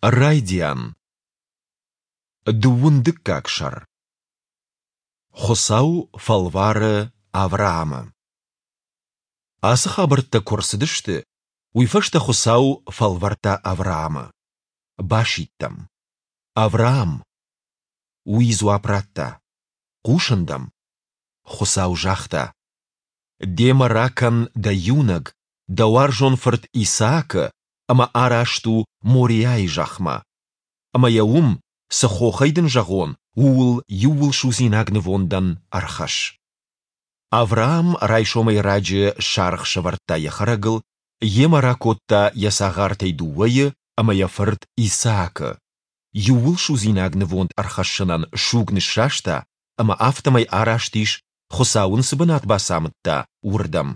Райдиан. Дыууын дыккаг сӕр. Хуыцау фӕлвары Авраамы. Ацы хабӕрттӕ куы рцыдысты, уый фӕстӕ Хуыцау фӕлвӕрдта Авраамы. Басидт ӕм: Авраам! Уый дзуапп радта: Хъусын дӕм. Хуыцау загъта: Демӕ ракӕн дӕ иунӕг, дӕ уарзон фырт Исаакы ӕмӕ араст у Мориайы зӕхмӕ. Ӕмӕ йӕ уым, цы хохӕй дын зӕгъон, ууыл иууылсудзинаг нывондӕн ӕрхӕсс. Авраам райсомӕй раджы саргъ сӕвӕрдта йӕ хӕрӕгыл, йемӕ ракодта йӕ цагъартӕй дыууӕйы ӕмӕ йӕ фырт Исаакы. Иууылсудзинаг нывонд ӕрхӕссынӕн суг ныссаста ӕмӕ афтӕмӕй араст ис, Хуыцау ын цы бынат бацамыдта, уырдӕм.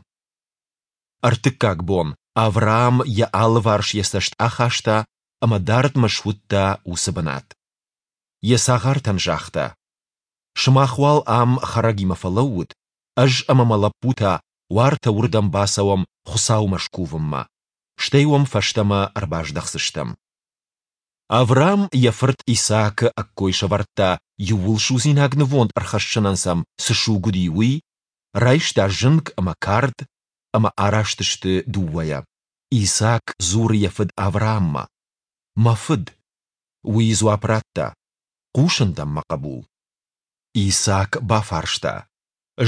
Ӕртыккаг бон Авраам йӕ алыварс йӕ цӕст ахаста ӕмӕ дардмӕ суыдта уыцы бынат. Йӕ цагъартӕн загъта: «Сымах уал ам хӕрӕгимӕ фӕлӕуут, ӕз ӕмӕ мӕ лӕппу та уартӕ уырдӕм бацӕуӕм Хуыцаумӕ скувынмӕ, стӕй уӕм фӕстӕмӕ ӕрбаздӕхдзыстӕм». Авраам йӕ фырт Исаакы ӕккой сӕвӕрдта, иууылсудзинаг нывонд ӕрхӕссынӕн сӕм цы суг уыди, уый, райста зынг ӕмӕ кард, ӕмӕ араст сты дыууӕйӕ. Исаак дзуры йӕ фыд Аврааммӕ: «Мӕ фыд!» Уый дзуапп радта: «Хъусын дӕм, мӕ хъӕбул». Исаак бафарста: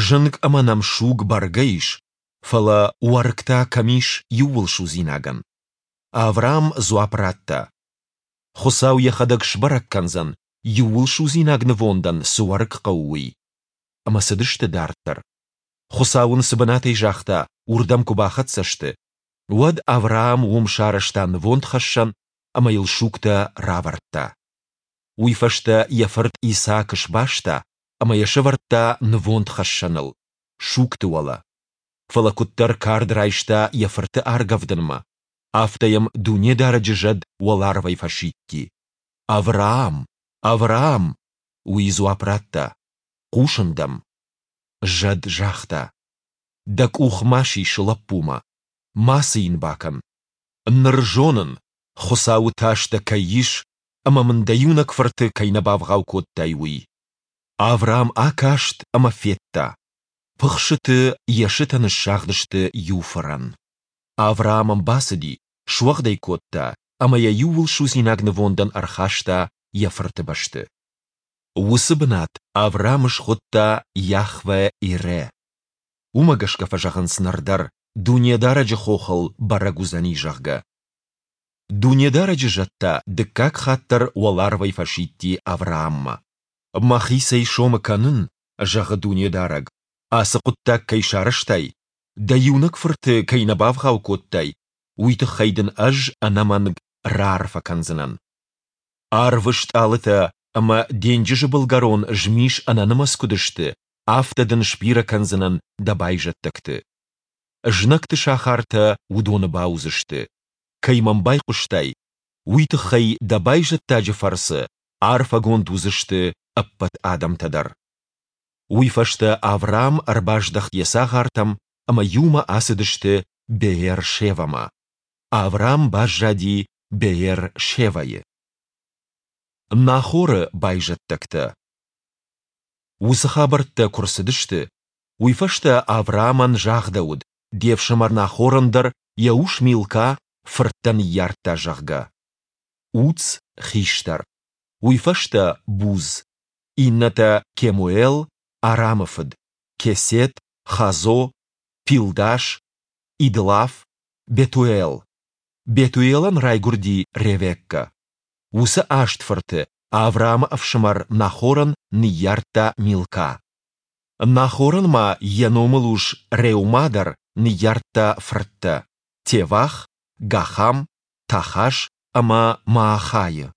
«Зынг ӕмӕ нӕм суг бӕргӕ ис, фӕлӕ уӕрыкк та кӕм ис иууылсудзинагӕн?» Авраам дзуапп радта: «Хуыцау йӕхӕдӕг сбӕрӕг кӕндзӕн, иууылсудзинаг нывондӕн цы уӕрыкк хъӕуы, уый». Ӕмӕ цыдысты дарддӕр. Хуыцау ын цы бынатӕй загъта, уырдӕм куы бахӕццӕ сты, уӕд Авраам уым сарӕзта нывондхӕссӕн ӕмӕ йыл сугтӕ равӕрдта. Уый фӕстӕ йӕ фырт Исаакы сбаста ӕмӕ йӕ сӕвӕрдта нывондхӕссӕныл, сугты уӕлӕ. Фӕлӕ куыддӕр кард райста йӕ фырты аргӕвдынмӕ, афтӕ йӕм Дунедарӕджы зӕд уӕларвӕй фӕсидти: Авраам! Авраам! Уый дзуапп радта: Хъусын дӕм. Зӕд загъта: Дӕ къух ма сис лӕппумӕ, мацы йын бакӕн. Ныр зонын, Хуыцауы тас дӕ кӕй ис ӕмӕ мын дӕ иунӕг фырты кӕй нӕ бавгъау кодтай, уый. Авраам акаст ӕмӕ федта, пыхсыты йӕ сытӕ ныссагъдысты иу фырӕн. Авраам ӕм бацыди, суӕгъд ӕй кодта ӕмӕ йӕ иууылсудзинаг нывондӕн ӕрхаста йӕ фырты бӕсты. Уыцы бынат Авраам схуыдта Йахве-Ирӕ. Уымӕ гӕсгӕ фӕзӕгъынц ныр дӕр, Дунедарӕджы хохыл бӕрӕг уыдзӕни, зӕгъгӕ. Дунедарӕджы зӕд та дыккаг хатт дӕр уӕларвӕй фӕсидти Аврааммӕ. Мӕхицӕй сомы кӕнын, зӕгъы Дунедарӕг, ацы хъуыддаг кӕй сарӕзтай, дӕ иунӕг фырты кӕй нӕ бавгъау кодтай, уый тыххӕй дын ӕз ӕнӕмӕнг раарфӕ кӕндзынӕн. Арвы стъалытӕ ӕмӕ денджызы былгӕрон змис ӕнӕнымӕц куыд сты, афтӕ дын сбирӕ кӕндзынӕн дӕ байзӕддӕгты. Знӕгты сахартӕ уыдоны бауыдзысты. Кӕй мӕм байхъуыстай, уый тыххӕй дӕ байзӕддаджы фӕрцы арфӕгонд уыдзысты ӕппӕт адӕмтӕ дӕр. Уый фӕстӕ Авраам ӕрбаздӕхт йӕ цагъартӕм ӕмӕ иумӕ ацыдысты Беер-Шевӕмӕ. Авраам баззади Беер-Шевӕйы. Нахоры байзӕддӕгтӕ. Уыцы хабӕрттӕ куы рцыдысты, уый фӕстӕ Авраамӕн загъдӕуыд, де фсымӕр Нахорӕн дӕр йӕ ус Милка фырттӕ ныййардта, зӕгъгӕ. Уц хистӕр, уый фӕстӕ Буз, иннӕтӕ Кемуэл, Арамы фыд, Кесед, Хазо, Пилдаш, Идлаф, Бетуэл. Бетуелӕн райгуырди Ревеккӕ. Уыцы аст фырты Авраамы ӕфсымӕр Нахорӕн ныййардта Милка. Нахорӕн ма йӕ номылус Реумӕ дӕр ныййардта фырттӕ: Тевах, Гахам, Тахаш ӕмӕ Маахайы.